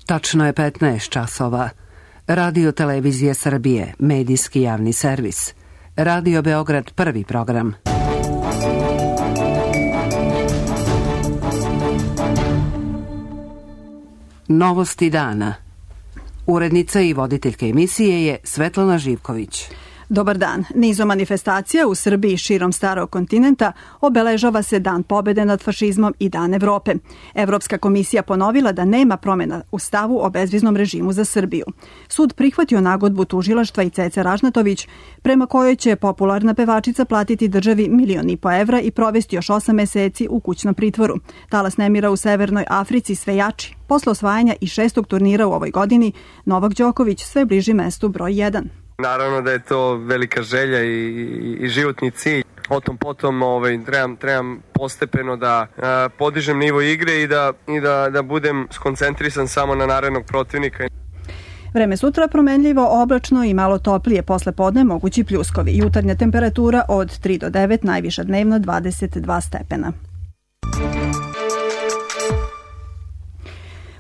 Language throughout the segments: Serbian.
Tačno je 15 časova. Radio Televizije Srbije, medijski javni servis. Radio Beograd, prvi program. Novosti dana. Urednica i voditeljka emisije je Svetlana Živković. Dobar dan. Nizom manifestacija u Srbiji širom starog kontinenta obeležava se Dan pobede nad fašizmom i Dan Evrope. Evropska komisija ponovila da nema promjena u stavu o bezviznom režimu za Srbiju. Sud prihvatio nagodbu tužilaštva i Cece Ražnatović, prema kojoj će popularna pevačica platiti državi 1,5 miliona evra i provesti još 8 meseci u kućnom pritvoru. Talas nemira u Severnoj Africi sve jači. Posle osvajanja i 6. turnira u ovoj godini, Novak Đoković sve bliži mestu broj 1. Naravno da je to velika želja i životni cilj. O tom potom trebam postepeno da podižem nivo igre i da budem skoncentrisan samo na narednog protivnika. Vreme sutra promenljivo, oblačno i malo toplije, posle podne mogući pljuskovi. Jutarnja temperatura od 3 do 9, najviša dnevno 22 stepena.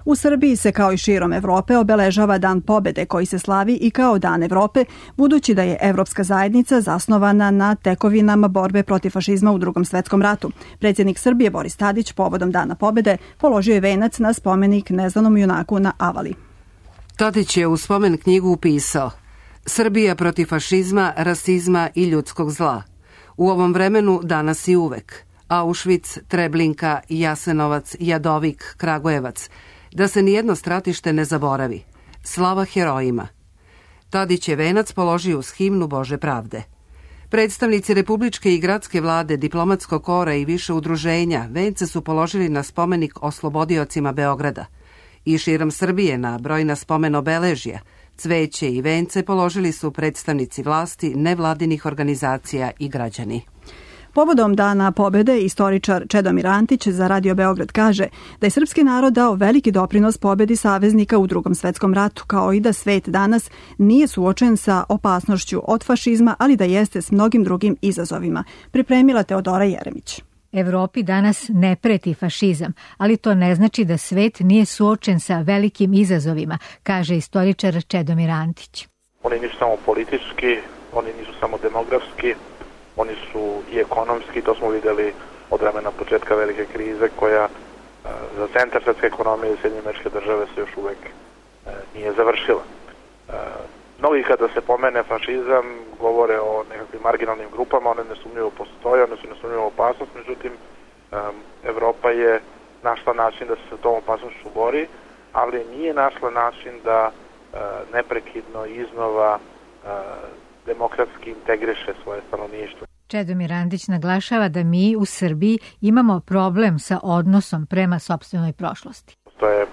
U Srbiji se kao i širom Evrope obeležava Dan pobede koji se slavi i kao Dan Evrope, budući da je Evropska zajednica zasnovana na tekovinama borbe protiv fašizma u Drugom svetskom ratu. Predsjednik Srbije Boris Tadić povodom Dana pobede položio je venac na spomenik neznanom junaku na Avali. Tadić je u spomen knjigu upisao: Srbija protiv fašizma, rasizma i ljudskog zla. U ovom vremenu danas i uvek. Auschwitz, Treblinka, Jasenovac, Jadovik, Kragujevac. Da se nijedno stratište ne zaboravi. Slava herojima. Tadić je venac položio uz himnu Bože pravde. Predstavnici republičke i gradske vlade, diplomatskog kora i više udruženja vence su položili na spomenik oslobodiocima Beograda. I širom Srbije na brojna spomen obeležja, cveće i vence položili su predstavnici vlasti, nevladinih organizacija i građani. Povodom Dana pobede istoričar Čedomir Antić za Radio Beograd kaže da je srpski narod dao veliki doprinos pobedi saveznika u Drugom svetskom ratu, kao i da svet danas nije suočen sa opasnošću od fašizma, ali da jeste s mnogim drugim izazovima. Pripremila Teodora Jeremić. Evropi danas ne preti fašizam, ali to ne znači da svet nije suočen sa velikim izazovima, kaže istoričar Čedomir Antić. Oni nisu samo politički, oni nisu samo demografski, oni su i ekonomski, to smo vidjeli od vremena početka velike krize koja za centar svetske ekonomije i Sjedinjene Američke Države se još uvek nije završila. Mnogi kada se pomene fašizam govore o nekakvim marginalnim grupama, one nesumnjivo postoje, one su nesumnjivo opasnost, međutim Evropa je našla način da se sa tom opasnošću bori, ali nije našla način da neprekidno iznova demokratski integriše svoje stanovništvo. Čedomir Antić naglašava da mi u Srbiji imamo problem sa odnosom prema sopstvenoj prošlosti. Postoje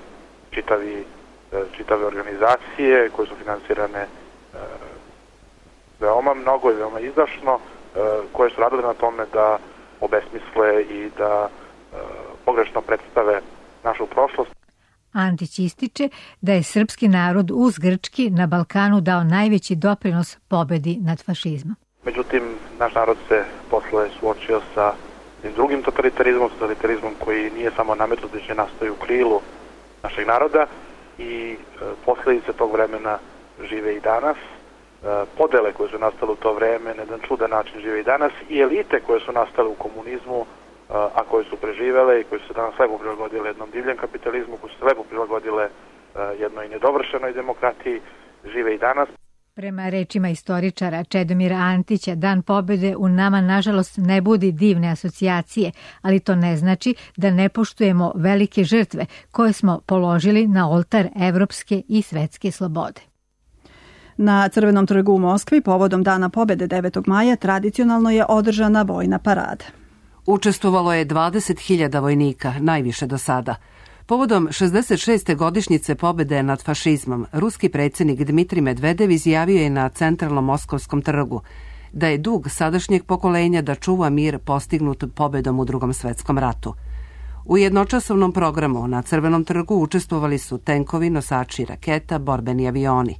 čitave organizacije koje su finansirane veoma mnogo i veoma izdašno, koje su radile na tome da obesmisle i da pogrešno predstave našu prošlost. Antić ističe da je srpski narod uz grčki na Balkanu dao najveći doprinos pobedi nad fašizmom. Međutim, naš narod se posle suočio sa drugim totalitarizmom koji nije samo nametnut, već je nastao u krilu našeg naroda i posljedice tog vremena žive i danas. Podele koje su nastale u to vreme na jedan čudan način žive i danas i elite koje su nastale u komunizmu, a koje su preživele i koje su se danas lepo prilagodile jednom divljem kapitalizmu, koje su se lepo prilagodile jednoj nedovršenoj demokratiji, žive i danas. Prema rečima istoričara Čedomira Antića, Dan pobede u nama nažalost ne budi divne asocijacije, ali to ne znači da ne poštujemo velike žrtve koje smo položili na oltar evropske i svetske slobode. Na Crvenom trgu u Moskvi povodom Dana pobede 9. maja tradicionalno je održana vojna parada. Učestvovalo je 20.000 vojnika, najviše do sada. Povodom 66. godišnjice pobede nad fašizmom, ruski predsjednik Dmitrij Medvedev izjavio je na centralnom Moskovskom trgu da je dug sadašnjeg pokolenja da čuva mir postignut pobedom u Drugom svetskom ratu. U jednočasovnom programu na Crvenom trgu učestvovali su tenkovi, nosači raketa, borbeni avioni.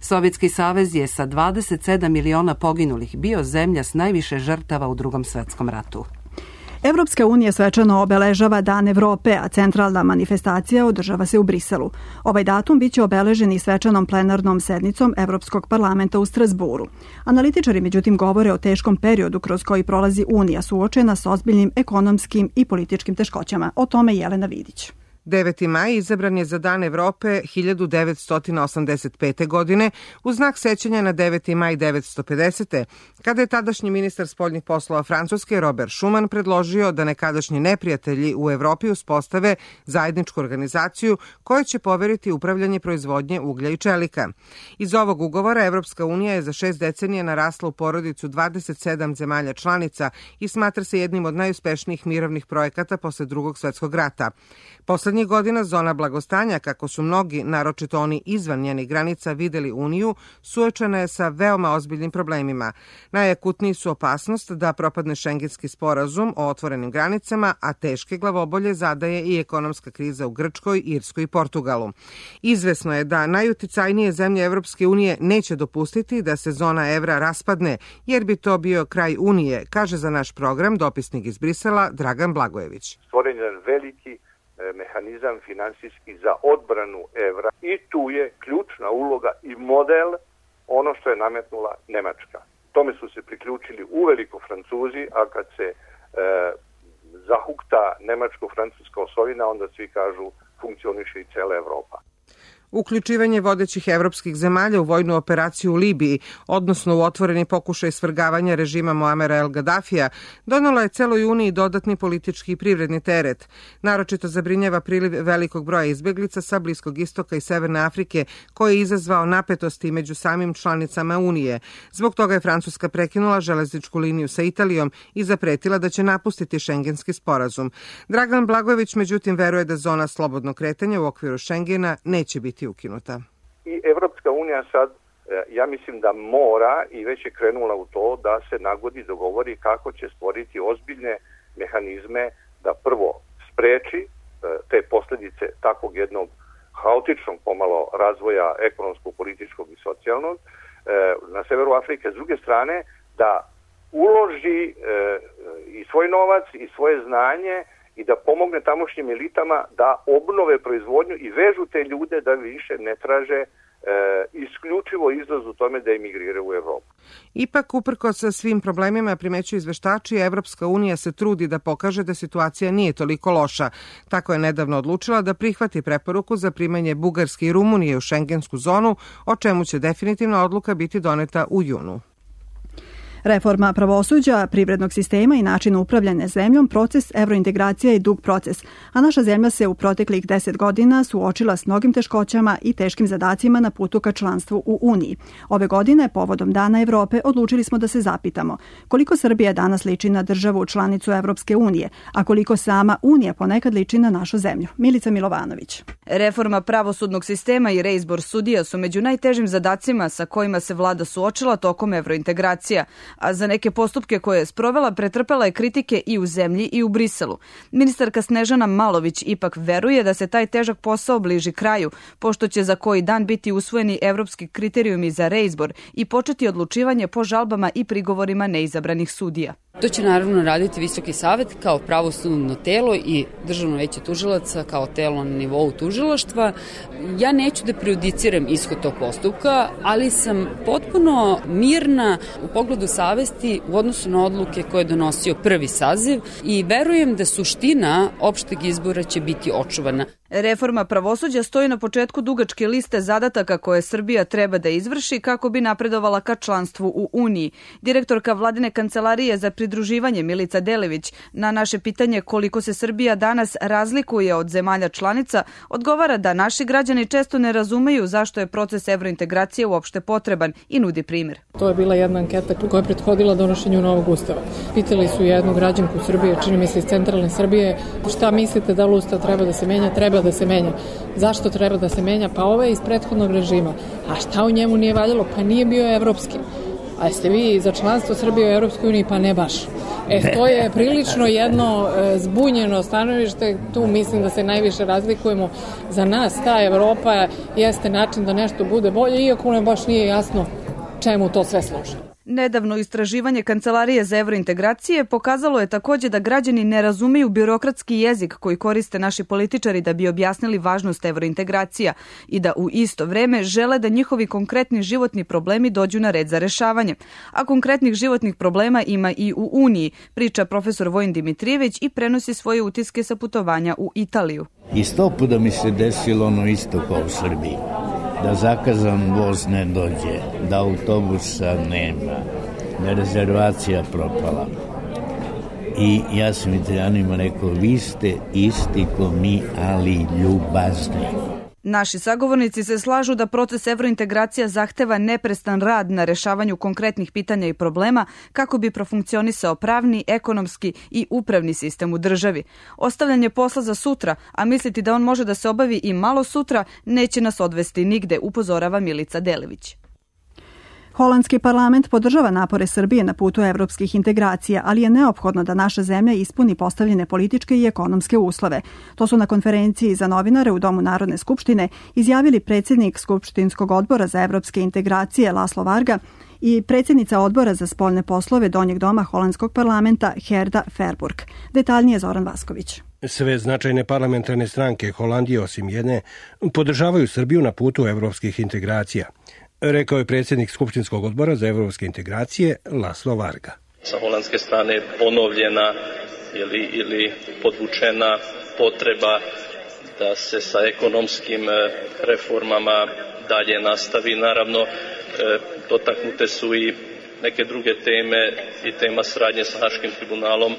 Sovjetski savez je sa 27 miliona poginulih bio zemlja s najviše žrtava u Drugom svetskom ratu. Evropska unija svečano obeležava Dan Evrope, a centralna manifestacija održava se u Briselu. Ovaj datum biće obeležen i svečanom plenarnom sednicom Evropskog parlamenta u Strasburu. Analitičari međutim govore o teškom periodu kroz koji prolazi Unija suočena s ozbiljnim ekonomskim i političkim teškoćama. O tome Jelena Vidić. 9. maj izabran je za Dan Evrope 1985. godine u znak sećanja na 9. maj 1950. kada je tadašnji ministar spoljnih poslova Francuske Robert Schuman predložio da nekadašnji neprijatelji u Evropi uspostave zajedničku organizaciju koja će poveriti upravljanje proizvodnje uglja i čelika. Iz ovog ugovora Evropska unija je za 6 decenija narasla u porodicu 27 zemalja članica i smatra se jednim od najuspešnijih mirovnih projekata posle Drugog svetskog rata. Poslednjih godina zona blagostanja, kako su mnogi, naročito oni izvan njenih granica, videli Uniju, suočena je sa veoma ozbiljnim problemima. Najakutniji su opasnost da propadne šengenski sporazum o otvorenim granicama, a teške glavobolje zadaje i ekonomska kriza u Grčkoj, Irskoj i Portugalu. Izvesno je da najuticajnije zemlje Evropske unije neće dopustiti da se zona evra raspadne, jer bi to bio kraj Unije, kaže za naš program dopisnik iz Brisela Dragan Blagojević. Stvoren je veliki mehanizam finansijski za odbranu evra i tu je ključna uloga i model ono što je nametnula Nemačka. Tome su se priključili uveliko Francuzi, a kad se zahukta nemačko-francuska osovina, onda svi kažu funkcioniše i cela Evropa. Uključivanje vodećih evropskih zemalja u vojnu operaciju u Libiji, odnosno u otvoreni pokušaj svrgavanja režima Muamera el Gaddafija, donelo je celoj Uniji dodatni politički i privredni teret. Naročito zabrinjava priliv velikog broja izbeglica sa Bliskog istoka i Severne Afrike, koji je izazvao napetosti među samim članicama Unije. Zbog toga je Francuska prekinula železničku liniju sa Italijom i zapretila da će napustiti šengenski sporazum. Dragan Blagojević međutim veruje da zona slobodnog kretanja u okviru Šengena neće biti ukinuta. I Evropska unija sad, ja mislim da mora i već je krenula u to da se nagodi, dogovori kako će stvoriti ozbiljne mehanizme da prvo spreči te posljedice takvog jednog haotičnog pomalo razvoja ekonomsko-političkog i socijalnog na severu Afrike. S druge strane, da uloži i svoj novac i svoje znanje i da pomogne tamošnjim elitama da obnove proizvodnju i vežu te ljude da više ne traže isključivo izlaz u tome da emigriraju u Evropu. Ipak, uprkos sa svim problemima, primećuju izveštači, Evropska unija se trudi da pokaže da situacija nije toliko loša. Tako je nedavno odlučila da prihvati preporuku za primanje Bugarske i Rumunije u šengensku zonu, o čemu će definitivna odluka biti doneta u junu. Reforma pravosuđa, privrednog sistema i način upravljanja zemljom, proces evrointegracija je dug proces, a naša zemlja se u proteklih 10 godina suočila s mnogim teškoćama i teškim zadacima na putu ka članstvu u Uniji. Ove godine, povodom Dana Evrope, odlučili smo da se zapitamo koliko Srbija danas liči na državu članicu Evropske unije, a koliko sama Unija ponekad liči na našu zemlju. Milica Milovanović. Reforma pravosudnog sistema i reizbor sudija su među najtežim zadacima sa kojima se vlada suočila tokom evrointegracija, a za neke postupke koje je sprovela pretrpela je kritike i u zemlji i u Briselu. Ministarka Snežana Malović ipak veruje da se taj težak posao bliži kraju, pošto će za koji dan biti usvojeni evropski kriterijumi za reizbor i početi odlučivanje po žalbama i prigovorima neizabranih sudija. To će naravno raditi Visoki savet kao pravosudno telo i Državno veće tužilaca kao telo na nivou tužilaštva. Ja neću da prejudiciram ishod tog postupka, ali sam potpuno mirna u pogledu savesti u odnosu na odluke koje je donosio prvi saziv i verujem da suština opšteg izbora će biti očuvana. Reforma pravosuđa stoji na početku dugačke liste zadataka koje Srbija treba da izvrši kako bi napredovala ka članstvu u Uniji. Direktorka Vladine kancelarije za pridruživanje Milica Delević na naše pitanje koliko se Srbija danas razlikuje od zemalja članica odgovara da naši građani često ne razumeju zašto je proces evrointegracije uopšte potreban i nudi primjer. To je bila jedna anketa koja je prethodila donošenju novog ustava. Pitali su jednu građanku Srbije, čini mi se iz centralne Srbije, šta mislite da li ustav treba da se menja? Treba da se menja. Zašto treba da se menja? Pa ovo je iz prethodnog režima. A šta u njemu nije valjalo? Pa nije bio evropski. A jeste vi za članstvo Srbije u Evropskoj uniji? Pa ne baš. To je prilično jedno zbunjeno stanovište. Tu mislim da se najviše razlikujemo. Za nas ta Evropa jeste način da nešto bude bolje, iako nam baš nije jasno čemu to sve služi. Nedavno istraživanje Kancelarije za evrointegracije pokazalo je takođe da građani ne razumeju birokratski jezik koji koriste naši političari da bi objasnili važnost evrointegracija i da u isto vreme žele da njihovi konkretni životni problemi dođu na red za rešavanje. A konkretnih životnih problema ima i u Uniji, priča profesor Vojin Dimitrijević i prenosi svoje utiske sa putovanja u Italiju. I 100 puta mi se desilo ono isto kao u Srbiji. Da zakazan voz ne dođe, da autobusa nema, da je rezervacija propala. I ja sam Italijanima rekao, vi ste isti ko mi, ali ljubazni. Naši sagovornici se slažu da proces evrointegracija zahteva neprestan rad na rešavanju konkretnih pitanja i problema kako bi profunkcionisao pravni, ekonomski i upravni sistem u državi. Ostavljanje posla za sutra, a misliti da on može da se obavi i malo sutra, neće nas odvesti nigde, upozorava Milica Delević. Holandski parlament podržava napore Srbije na putu evropskih integracija, ali je neophodno da naša zemlja ispuni postavljene političke i ekonomske uslove. To su na konferenciji za novinare u Domu Narodne skupštine izjavili predsjednik Skupštinskog odbora za evropske integracije Laslo Varga i predsjednica odbora za spoljne poslove Donjeg doma Holandskog parlamenta Gerda Verburg. Detaljnije Zoran Vasković. Sve značajne parlamentarne stranke Holandije, osim jedne, podržavaju Srbiju na putu evropskih integracija, rekao je predsjednik Skupštinskog odbora za evropske integracije Laslo Varga. Sa holandske strane ponovljena ili podvučena potreba da se sa ekonomskim reformama dalje nastavi. Naravno, dotaknute su i neke druge teme i tema saradnje sa Haškim tribunalom,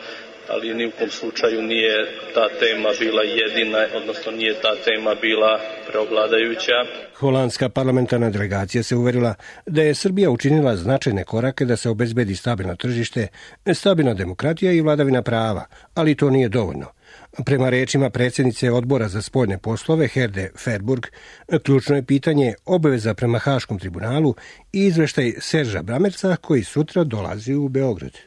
ali ni u kom slučaju nije ta tema bila jedina, odnosno nije ta tema bila preovladajuća. Holandska parlamentarna delegacija se uverila da je Srbija učinila značajne korake da se obezbedi stabilno tržište, stabilna demokratija i vladavina prava, ali to nije dovoljno. Prema rečima predsjednice odbora za spoljne poslove Gerde Verburg, ključno je pitanje obaveza prema Haškom tribunalu i izveštaj Serža Bramerca koji sutra dolazi u Beograd.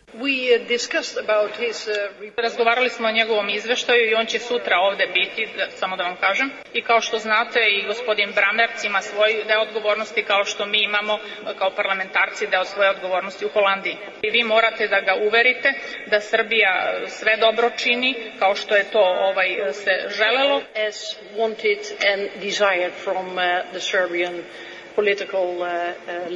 Razgovarali smo o njegovom izveštaju i on će sutra ovde biti, samo da vam kažem. I kao što znate, i gospodin Bramerc ima svoj deo odgovornosti, kao što mi imamo kao parlamentarci deo svoje odgovornosti u Holandiji. I vi morate da ga uverite da Srbija sve dobro čini, kao što je to se želelo. As wanted and desired from the Serbian political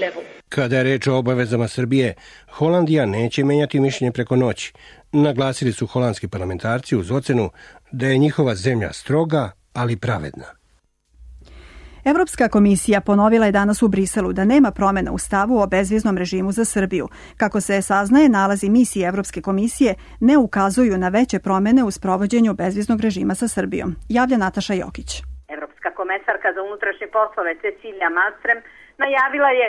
level. Kada je reč o obavezama Srbije, Holandija neće menjati mišljenje preko noći. Naglasili su holandski parlamentarci uz ocenu da je njihova zemlja stroga, ali pravedna. Evropska komisija ponovila je danas u Briselu da nema promjena u stavu o bezviznom režimu za Srbiju. Kako se saznaje, nalazi misije Evropske komisije ne ukazuju na veće promjene u sprovođenju bezviznog režima sa Srbijom. Javlja Nataša Jokić. Evropska komesarka za unutrašnje poslove Cecilija Malmström najavila je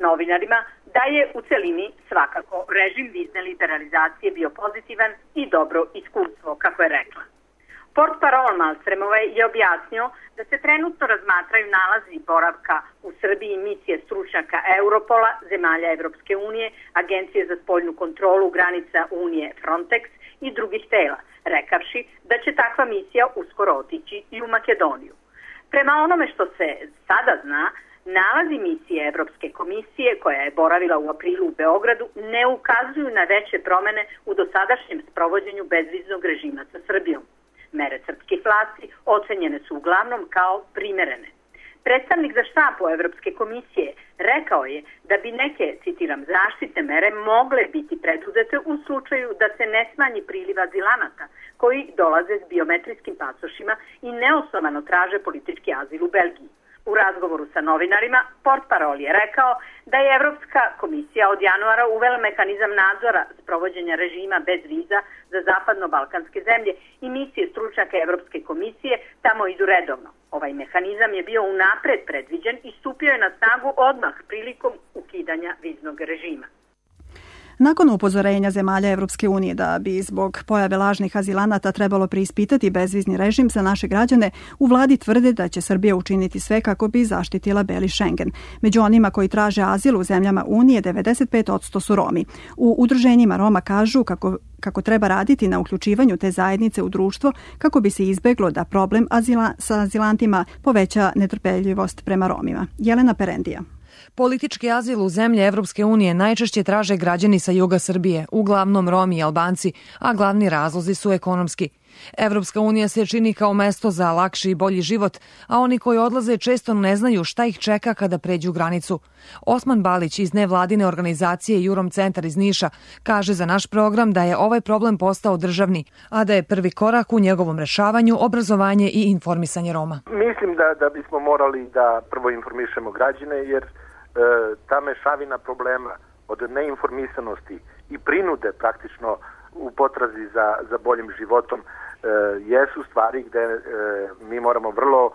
novinarima da je u celini svakako režim vizne liberalizacije bio pozitivan i dobro iskustvo, kako je rekla. Portparol Malmströmove je objasnio da se trenutno razmatraju nalazi boravka u Srbiji misije stručnjaka Europola, zemalja Evropske unije, Agencije za spoljnu kontrolu granica Unije Frontex i drugih tela, rekavši da će takva misija uskoro otići i u Makedoniju. Prema onome što se sada zna, nalazi misije Evropske komisije, koja je boravila u aprilu u Beogradu, ne ukazuju na veće promene u dosadašnjem sprovođenju bezviznog režima sa Srbijom. Mere srpskih vlasti ocenjene su uglavnom kao primerene. Predstavnik za štapu Evropske komisije rekao je da bi neke, citiram, zaštitne mere mogle biti preduzete u slučaju da se ne smanji priliv azilanata koji dolaze s biometrijskim pasošima i neosnovano traže politički azil u Belgiji. U razgovoru sa novinarima, portparol je rekao da je Evropska komisija od januara uvela mehanizam nadzora sprovođenja režima bez viza za zapadno-balkanske zemlje i misije stručnjaka Evropske komisije tamo idu redovno. Ovaj mehanizam je bio unapred predviđen i stupio je na snagu odmah prilikom ukidanja viznog režima. Nakon upozorenja zemalja Evropske unije da bi zbog pojave lažnih azilanata trebalo preispitati bezvizni režim za naše građane, u vladi tvrde da će Srbija učiniti sve kako bi zaštitila beli Schengen. Među onima koji traže azil u zemljama Unije 95% su Romi. U udruženjima Roma kažu kako treba raditi na uključivanju te zajednice u društvo kako bi se izbeglo da problem sa azilantima poveća netrpeljivost prema Romima. Jelena Perendija. Politički azil u zemlje Evropske unije najčešće traže građani sa juga Srbije, uglavnom Romi i Albanci, a glavni razlozi su ekonomski. Evropska unija se čini kao mesto za lakši i bolji život, a oni koji odlaze često ne znaju šta ih čeka kada pređu granicu. Osman Balić iz nevladine organizacije Jurom Centar iz Niša kaže za naš program da je ovaj problem postao državni, a da je prvi korak u njegovom rešavanju obrazovanje i informisanje Roma. Mislim da bismo morali da prvo informišemo građane, jer ta mešavina problema od neinformisanosti i prinude praktično u potrazi za boljim životom jesu stvari gde mi moramo vrlo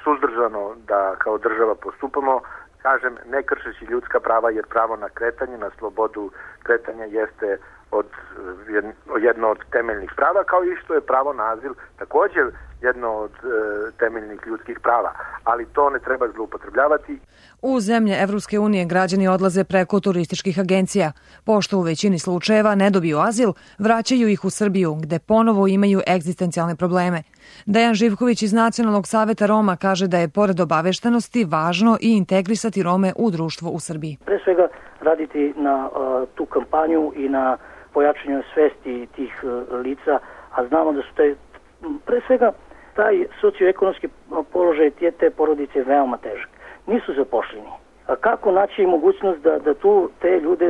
suzdržano da kao država postupamo, kažem, ne kršeći ljudska prava, jer pravo na kretanje, na slobodu kretanja jeste jedno od temeljnih prava, kao i što je pravo na azil također jedno od temeljnih ljudskih prava, ali to ne treba zloupotrebljavati. U zemlje Evropske unije građani odlaze preko turističkih agencija. Pošto u većini slučajeva ne dobiju azil, vraćaju ih u Srbiju, gde ponovo imaju egzistencijalne probleme. Dejan Živković iz Nacionalnog saveta Roma kaže da je pored obaveštenosti važno i integrisati Rome u društvo u Srbiji. Pre svega raditi na tu kampanju i na pojačanju svesti tih lica, a znamo da su pre svega taj socioekonomski položaj te porodice je veoma težak. Nisu zapošljeni. A kako naći mogućnost da tu te ljude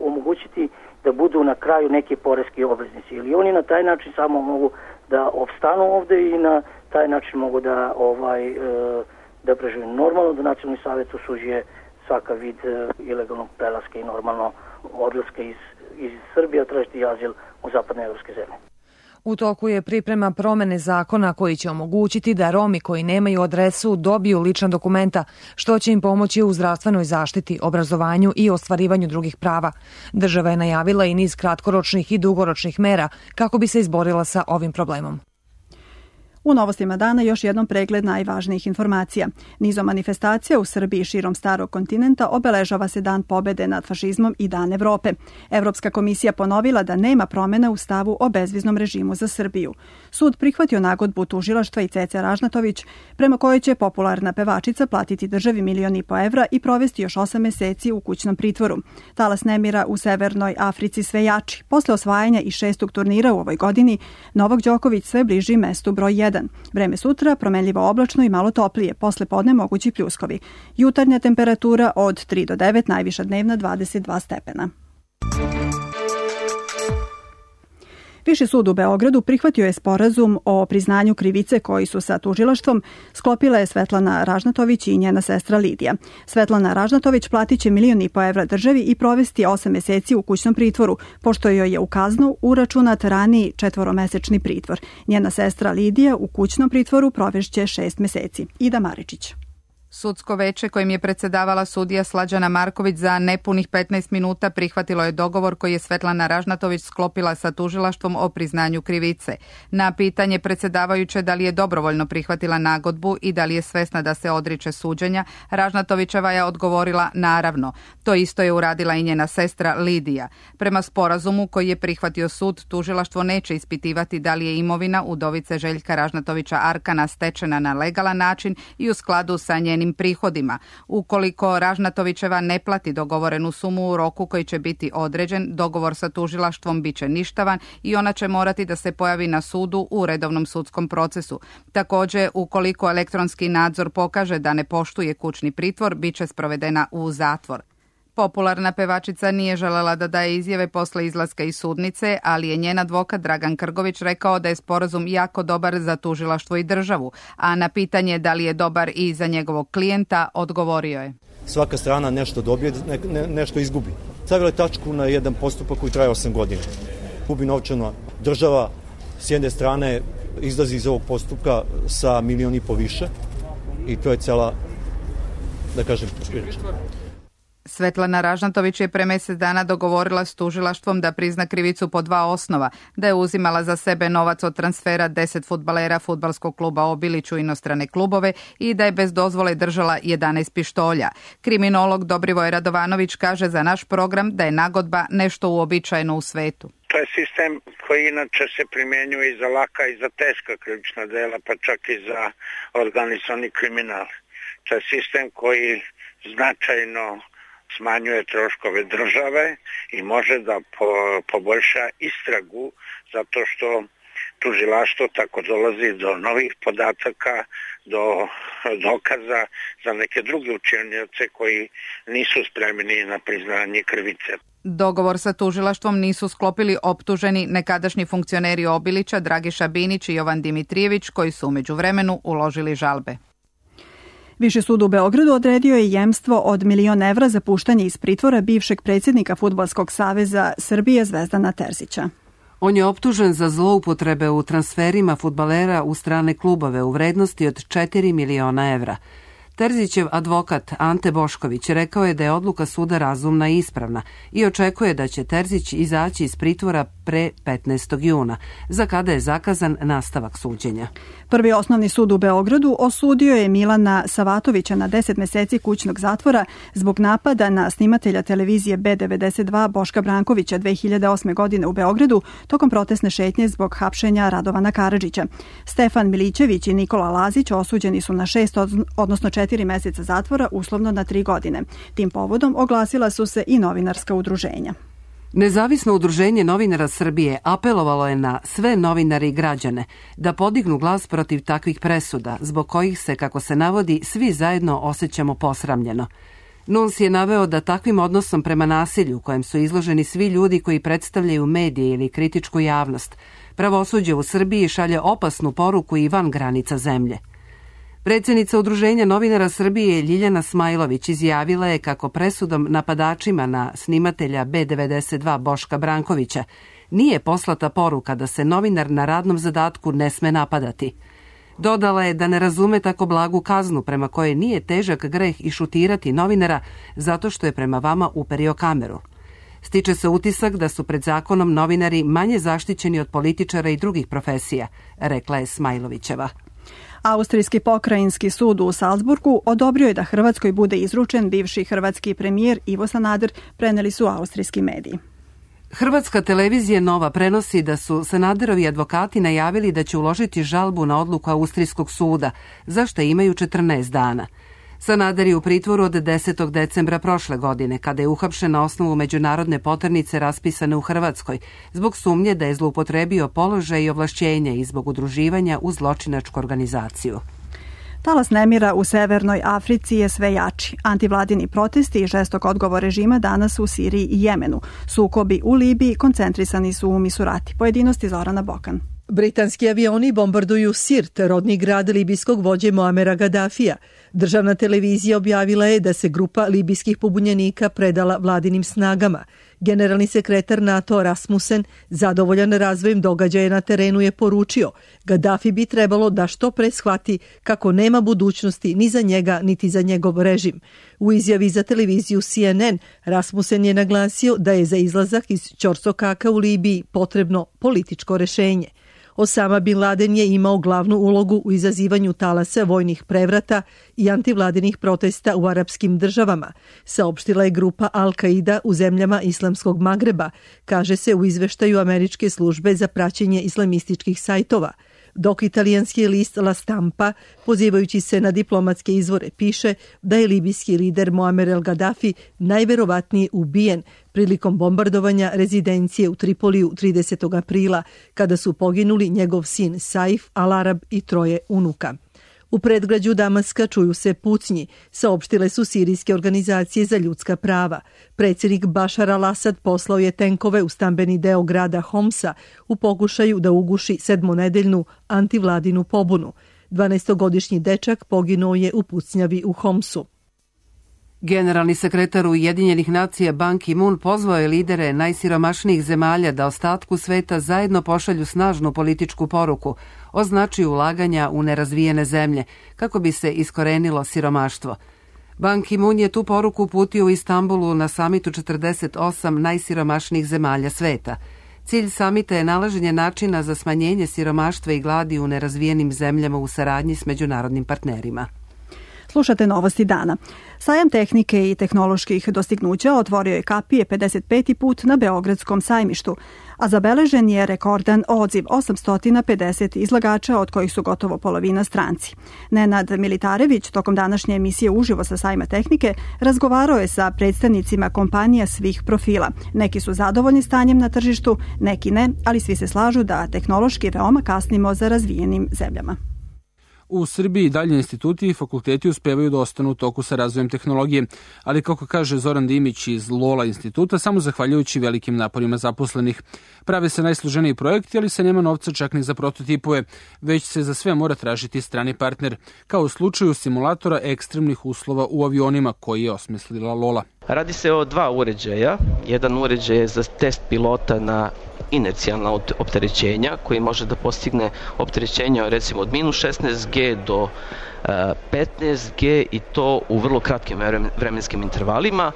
omogućiti da budu na kraju neki poreski obveznici? Ili oni na taj način samo mogu da opstanu ovde i na taj način mogu da prežive. Normalno da Nacionalni savjet osuđuje svaka vid ilegalnog prelaska i normalno odlaska iz Srbije tražiti azil u zapadne evropske zemlje. U toku je priprema promene zakona koji će omogućiti da Romi koji nemaju adresu dobiju lična dokumenta, što će im pomoći u zdravstvenoj zaštiti, obrazovanju i ostvarivanju drugih prava. Država je najavila i niz kratkoročnih i dugoročnih mera kako bi se izborila sa ovim problemom. U novostima dana još jednom pregled najvažnijih informacija. Nizom manifestacija u Srbiji širom starog kontinenta obeležava se Dan pobede nad fašizmom i Dan Evrope. Evropska komisija ponovila da nema promjena u stavu o bezviznom režimu za Srbiju. Sud prihvatio nagodbu tužilaštva i Ceca Ražnatović, prema kojoj će popularna pevačica platiti državi 1,5 miliona evra i provesti još 8 meseci u kućnom pritvoru. Talas nemira u Severnoj Africi sve jači. Posle osvajanja i 6. turnira u ovoj godini, Novak Đoković sve bliži mestu broj 1. Vreme sutra promenljivo oblačno i malo toplije, posle podne mogući pljuskovi. Jutarnja temperatura od 3 do 9, najviša dnevna 22 stepena. Viši sud u Beogradu prihvatio je sporazum o priznanju krivice koji su sa tužilaštvom sklopile Svetlana Ražnatović i njena sestra Lidija. Svetlana Ražnatović platit će 1,5 miliona evra državi i provesti 8 meseci u kućnom pritvoru, pošto joj je u kaznu uračunat raniji 4-mesečni pritvor. Njena sestra Lidija u kućnom pritvoru provešće 6 meseci. Ida Maričić. Sudsko veće kojim je predsedavala sudija Slađana Marković za nepunih 15 minuta prihvatilo je dogovor koji je Svetlana Ražnatović sklopila sa tužilaštvom o priznanju krivice. Na pitanje predsedavajuće da li je dobrovoljno prihvatila nagodbu i da li je svesna da se odriče suđenja, Ražnatovićeva je odgovorila naravno. To isto je uradila i njena sestra Lidija. Prema sporazumu koji je prihvatio sud, tužilaštvo neće ispitivati da li je imovina udovice Željka Ražnatovića Arkana stečena na legalan način i u skladu sa njenim prihodima. Ukoliko Ražnatovićeva ne plati dogovorenu sumu u roku koji će biti određen, dogovor sa tužilaštvom biće ništavan i ona će morati da se pojavi na sudu u redovnom sudskom procesu. Također, ukoliko elektronski nadzor pokaže da ne poštuje kućni pritvor, biće sprovedena u zatvor. Popularna pevačica nije želela da daje izjave posle izlaska iz sudnice, ali je njen advokat Dragan Krgović rekao da je sporazum jako dobar za tužilaštvo i državu, a na pitanje da li je dobar i za njegovog klijenta, odgovorio je. Svaka strana nešto dobije, nešto izgubi. Stavila je tačku na jedan postupak koji traje 8 godina. Gubi novčano država, s jedne strane izlazi iz ovog postupka sa 1,5 miliona više i to je cela, da kažem, priča. Svetlana Ražnatović je pre mesec dana dogovorila s tužilaštvom da prizna krivicu po 2 osnova, da je uzimala za sebe novac od transfera 10 fudbalera fudbalskog kluba Obilić u inostrane klubove i da je bez dozvole držala 11 pištolja. Kriminolog Dobrivoj Radovanović kaže za naš program da je nagodba nešto uobičajeno u svetu. To je sistem koji inače se primjenjuje i za laka i za teška krivična dela, pa čak i za organizovani kriminal. To je sistem koji značajno smanjuje troškove države i može da poboljša istragu zato što tužilaštvo tako dolazi do novih podataka, do dokaza za neke druge učinioce koji nisu spremni na priznanje krivice. Dogovor sa tužilaštvom nisu sklopili optuženi nekadašnji funkcioneri Obilića, Dragiša Binić i Jovan Dimitrijević, koji su u međuvremenu uložili žalbe. Viši sud u Beogradu odredio je jemstvo od 1.000.000 evra za puštanje iz pritvora bivšeg predsjednika Fudbalskog saveza Srbije Zvezdana Terzića. On je optužen za zloupotrebe u transferima fudbalera u strane klubove u vrednosti od 4 miliona evra. Terzićev advokat Ante Bošković rekao je da je odluka suda razumna i ispravna i očekuje da će Terzić izaći iz pritvora pre 15. juna, za kada je zakazan nastavak suđenja. Prvi osnovni sud u Beogradu osudio je Milana Savatovića na 10 meseci kućnog zatvora zbog napada na snimatelja televizije B92 Boška Brankovića 2008. godine u Beogradu tokom protestne šetnje zbog hapšenja Radovana Karadžića. Stefan Milićević i Nikola Lazić osuđeni su na 6, odnosno 4 meseca zatvora, uslovno na 3 godine. Tim povodom oglasila su se i novinarska udruženja. Nezavisno udruženje novinara Srbije apelovalo je na sve novinare i građane da podignu glas protiv takvih presuda, zbog kojih se, kako se navodi, svi zajedno osjećamo posramljeno. NUNS je naveo da takvim odnosom prema nasilju, kojem su izloženi svi ljudi koji predstavljaju medije ili kritičku javnost, pravosuđe u Srbiji šalje opasnu poruku i van granica zemlje. Predsjednica Udruženja novinara Srbije Ljiljana Smajlović izjavila je kako presudom napadačima na snimatelja B92 Boška Brankovića nije poslata poruka da se novinar na radnom zadatku ne sme napadati. Dodala je da ne razume tako blagu kaznu prema kojoj nije težak greh i šutirati novinara zato što je prema vama uperio kameru. Stiče se utisak da su pred zakonom novinari manje zaštićeni od političara i drugih profesija, rekla je Smajlovićeva. Austrijski pokrajinski sud u Salzburgu odobrio je da Hrvatskoj bude izručen bivši hrvatski premijer Ivo Sanader, preneli su austrijski mediji. Hrvatska televizija Nova prenosi da su Sanaderovi advokati najavili da će uložiti žalbu na odluku austrijskog suda, za što imaju 14 dana. Sanader je u pritvoru od 10. decembra prošle godine, kada je uhapšen na osnovu međunarodne poternice raspisane u Hrvatskoj, zbog sumnje da je zloupotrebio položaj i ovlašćenja i zbog udruživanja u zločinačku organizaciju. Talas nemira u Severnoj Africi je sve jači. Antivladini protesti i žestok odgovor režima danas u Siriji i Jemenu. Sukobi u Libiji koncentrisani su u Misurati. Pojedinosti Zorana Bokan. Britanski avioni bombarduju Sirt, rodni grad libijskog vođe Muamera Gaddafija. Državna televizija objavila je da se grupa libijskih pobunjenika predala vladinim snagama. Generalni sekretar NATO Rasmussen, zadovoljan razvojem događaja na terenu, je poručio: Gaddafi bi trebalo da što pre shvati kako nema budućnosti ni za njega niti za njegov režim. U izjavi za televiziju CNN Rasmussen je naglasio da je za izlazak iz ćorsokaka u Libiji potrebno političko rešenje. Osama Bin Laden je imao glavnu ulogu u izazivanju talasa vojnih prevrata i antivladinih protesta u arapskim državama, saopštila je grupa Al-Qaida u zemljama Islamskog Magreba, kaže se u izveštaju američke službe za praćenje islamističkih sajtova, dok italijanski list La Stampa, pozivajući se na diplomatske izvore, piše da je libijski lider Muammer el-Gaddafi najverovatnije ubijen prilikom bombardovanja rezidencije u Tripoliju 30. aprila, kada su poginuli njegov sin Saif al-Arab i 3 unuka. U predgrađu Damaska čuju se pucnji, saopštile su sirijske organizacije za ljudska prava. Predsjednik Bašar al-Asad poslao je tenkove u stambeni deo grada Homsa u pokušaju da uguši 7-nedeljnu antivladinu pobunu. 12-godišnji dečak poginuo je u pucnjavi u Homsu. Generalni sekretar Ujedinjenih nacija Ban Ki-moon pozvao je lidere najsiromašnijih zemalja da ostatku sveta zajedno pošalju snažnu političku poruku o značaju ulaganja u nerazvijene zemlje kako bi se iskorenilo siromaštvo. Ban Ki-moon je tu poruku uputio u Istanbulu na samitu 48 najsiromašnijih zemalja sveta. Cilj samita je nalaženje načina za smanjenje siromaštva i gladi u nerazvijenim zemljama u saradnji s međunarodnim partnerima. Slušate Novosti dana. Sajam tehnike i tehnoloških dostignuća otvorio je kapije 55. put na Beogradskom sajmištu, a zabeležen je rekordan odziv 850 izlagača, od kojih su gotovo polovina stranci. Nenad Militarević tokom današnje emisije Uživo sa sajma tehnike razgovarao je sa predstavnicima kompanija svih profila. Neki su zadovoljni stanjem na tržištu, neki ne, ali svi se slažu da tehnološki veoma kasnimo za razvijenim zemljama. U Srbiji dalje instituti i fakulteti uspevaju da ostanu u toku sa razvojem tehnologije, ali kako kaže Zoran Dimić iz Lola instituta, samo zahvaljujući velikim naporima zaposlenih. Prave se najsloženiji projekti, ali se nema novca čak ni za prototipove, već se za sve mora tražiti strani partner, kao u slučaju simulatora ekstremnih uslova u avionima koji je osmislila Lola. Radi se o dva uređaja. Jedan uređaj je za test pilota na inercijalna opterećenja, koji može da postigne opterećenja recimo od minus 16G do 15G i to u vrlo kratkim vremenskim intervalima.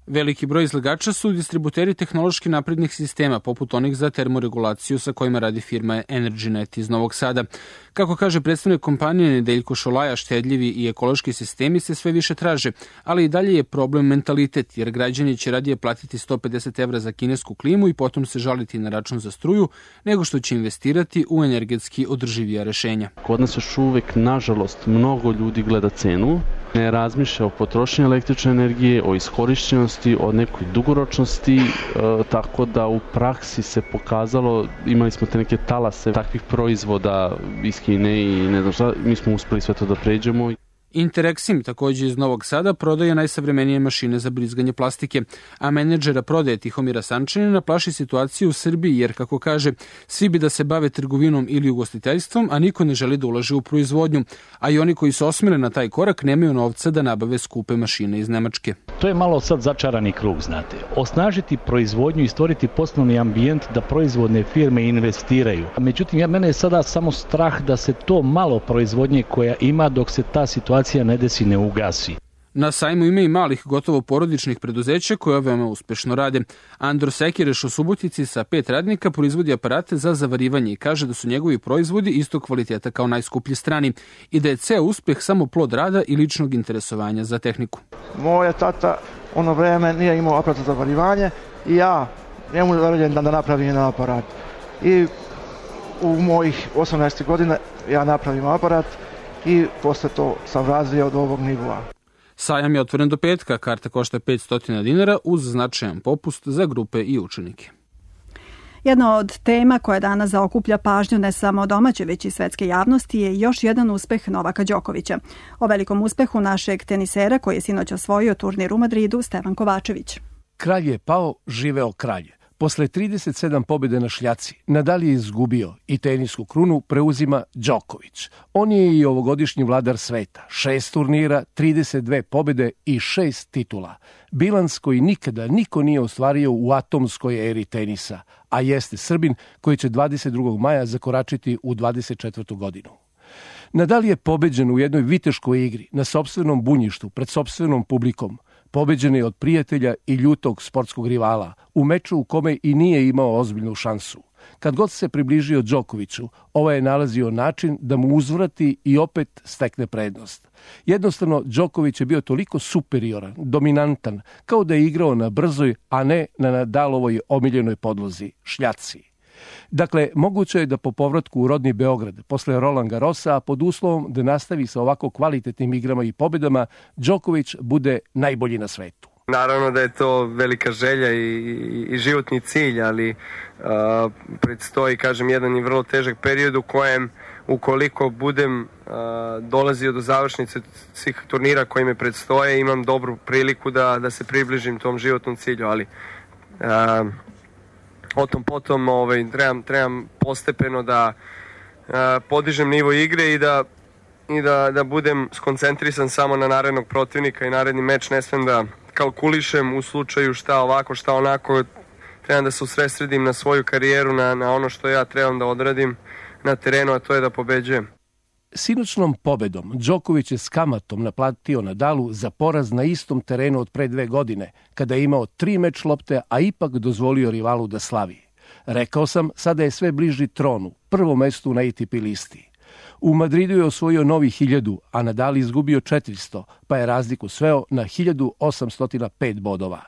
Veliki broj izlagača su distributeri tehnološki naprednih sistema, poput onih za termoregulaciju sa kojima radi firma EnergyNet iz Novog Sada. Kako kaže predstavnik kompanije Nedeljko Šolaja, štedljivi i ekološki sistemi se sve više traže, ali i dalje je problem mentalitet, jer građani će radije platiti 150 evra za kinesku klimu i potom se žaliti na račun za struju, nego što će investirati u energetski održivija rešenja. Kod nas još uvek, nažalost, mnogo ljudi gleda cenu, ne razmišlja o potrošnji električne energije, o iskorišćenosti, o nekoj dugoročnosti, tako da u praksi se pokazalo, imali smo te neke talase takvih proizvoda iz Kine i ne znam šta, mi smo uspeli sve to da pređemo. Interexim, takođe iz Novog Sada, prodaje najsavremenije mašine za brizganje plastike, a menadžera prodaje Tihomira Sančanina plaši situaciju u Srbiji, jer, kako kaže, svi bi da se bave trgovinom ili ugostiteljstvom, a niko ne želi da ulaže u proizvodnju, a i oni koji su osmele na taj korak nemaju novca da nabave skupe mašine iz Nemačke. To je malo sad začarani krug, znate. Osnažiti proizvodnju i stvoriti poslovni ambijent da proizvodne firme investiraju. Međutim, mene je sada samo strah da se to malo proizvodnje koja ima dok se ta situacija ne desi, ne ugasi. Na sajmu ima i malih, gotovo porodičnih preduzeća koja veoma uspešno rade. Andro Sekireš u Subotici sa 5 radnika proizvodi aparate za zavarivanje i kaže da su njegovi proizvodi istog kvaliteta kao najskuplji strani i da je ceo uspeh samo plod rada i ličnog interesovanja za tehniku. Moja tata ono vreme nije imao aparat za zavarivanje i ja njemu naredim da napravim jedan aparat. I u mojih 18 godina ja napravim aparat i posle to sam razvio od ovog nivoa. Sajam je otvoren do petka, karta košta 500 dinara uz značajan popust za grupe i učenike. Jedna od tema koja danas zaokuplja pažnju ne samo domaće, već i svetske javnosti je još jedan uspeh Novaka Đokovića. O velikom uspehu našeg tenisera koji je sinoć osvojio turnir u Madridu, Stevan Kovačević. Kralj je pao, živeo kralj. Posle 37 pobjede na šljaci, Nadal je izgubio i tenisku krunu preuzima Đoković. On je i ovogodišnji vladar sveta. 6 turnira, 32 pobjede i 6 titula. Bilans koji nikada niko nije ostvario u atomskoj eri tenisa, a jeste Srbin koji će 22. maja zakoračiti u 24. godinu. Nadal je pobeđen u jednoj viteškoj igri na sopstvenom bunjištu pred sopstvenom publikom. Pobeđen je od prijatelja i ljutog sportskog rivala, u meču u kome i nije imao ozbiljnu šansu. Kad god se približio Đokoviću, ovaj je nalazio način da mu uzvrati i opet stekne prednost. Jednostavno, Đoković je bio toliko superioran, dominantan, kao da je igrao na brzoj, a ne na Nadalovoj omiljenoj podlozi, šljaci. Dakle, moguće je da po povratku u rodni Beograd, posle Roland Garrosa, a pod uslovom da nastavi sa ovako kvalitetnim igrama i pobedama, Đoković bude najbolji na svetu. Naravno da je to velika želja i životni cilj, ali predstoji, kažem, jedan i vrlo težak period u kojem, ukoliko budem dolazio do završnice svih turnira koji me predstoje, imam dobru priliku da se približim tom životnom cilju, ali o tom potom trebam postepeno da podižem nivo igre i da budem skoncentrisan samo na narednog protivnika i naredni meč. Ne smem da kalkulišem u slučaju šta ovako, šta onako. Trebam da se usredsredim na svoju karijeru, na ono što ja trebam da odradim na terenu, a to je da pobeđujem. Sinoćnom pobedom Đoković je s kamatom naplatio Nadalu za poraz na istom terenu od pre 2 godine, kada je imao 3 meč lopte, a ipak dozvolio rivalu da slavi. Rekao sam, sada je sve bliži tronu, prvom mestu na ATP listi. U Madridu je osvojio novi 1000, a Nadal izgubio 400, pa je razliku sveo na 1805 bodova.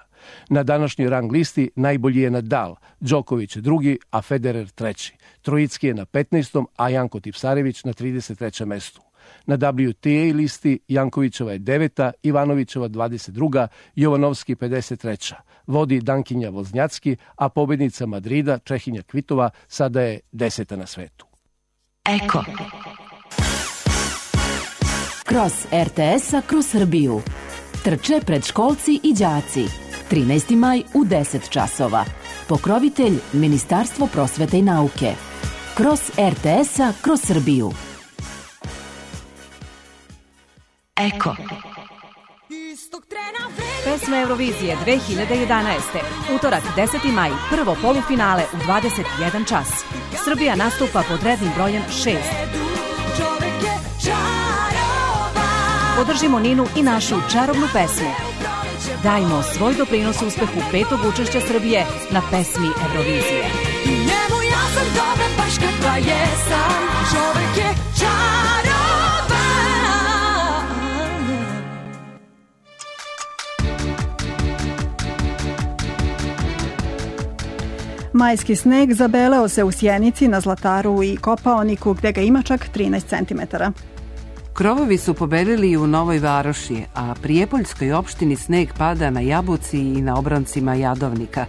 Na današnjoj rang listi najbolji je Nadal, Đoković je drugi, a Federer treći. Trojicki je na 15. a Janko Tipsarević na 33. mestu. Na WTA listi Jankovićeva je 9., Ivanovićeva 22., Jovanovski 53. Vodi Dankinja Voznjacki, a pobednica Madrida, Čehinja Kvitova, sada je 10. na svetu. Eko. Kroz RTS-a kroz Srbiju. Trče predškolci i đaci. 13. maj u 10 časova. Pokrovitelj Ministarstvo prosvete i nauke. Kroz RTS-a kroz Srbiju. Eko. Pesme Eurovizije 2011. Utorak 10. maj, prvo polufinale u 21 čas. Srbija nastupa pod rednim brojem 6. Podržimo Ninu i našu čarobnu pesmu. Dajmo svoj doprinos uspehu 5. učešća Srbije na pesmi Eurovizije. Njemu ja sam dobra baš kakva jesam, čovek je čaroban. Majski sneg zabeleo se u Sjenici, na Zlataru i Kopaoniku, gde ga ima čak 13 cm. Krovovi su pobelili i u Novoj Varoši, a Prijepoljskoj opštini sneg pada na Jabuci i na obroncima Jadovnika.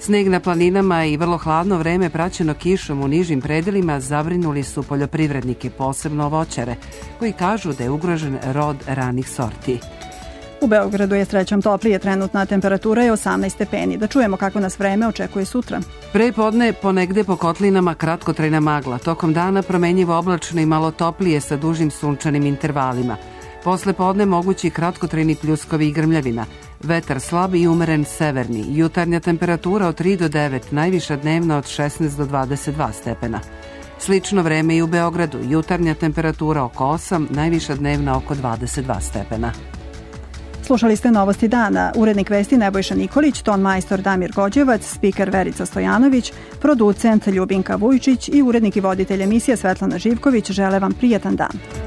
Sneg na planinama i vrlo hladno vreme praćeno kišom u nižim predelima zabrinuli su poljoprivrednike, posebno voćare, koji kažu da je ugrožen rod ranih sorti. U Beogradu je srećom toplije, trenutna temperatura je 18 stepeni. Da čujemo kako nas vreme očekuje sutra. Pre podne ponegde po kotlinama kratkotrajna magla, tokom dana promenjivo oblačno i malo toplije sa dužim sunčanim intervalima. Posle podne mogući kratkotrajni pljuskovi i grmljavina. Vetar slab i umeren severni, jutarnja temperatura od 3 do 9, najviša dnevna od 16 do 22 stepena. Slično vreme i u Beogradu, jutarnja temperatura oko 8, najviša dnevna oko 22 stepena. Slušali ste Novosti dana. Urednik vesti Nebojša Nikolić, ton majstor Damir Gođevac, spiker Verica Stojanović, producent Ljubinka Vujčić i urednik i voditelj emisije Svetlana Živković žele vam prijatan dan.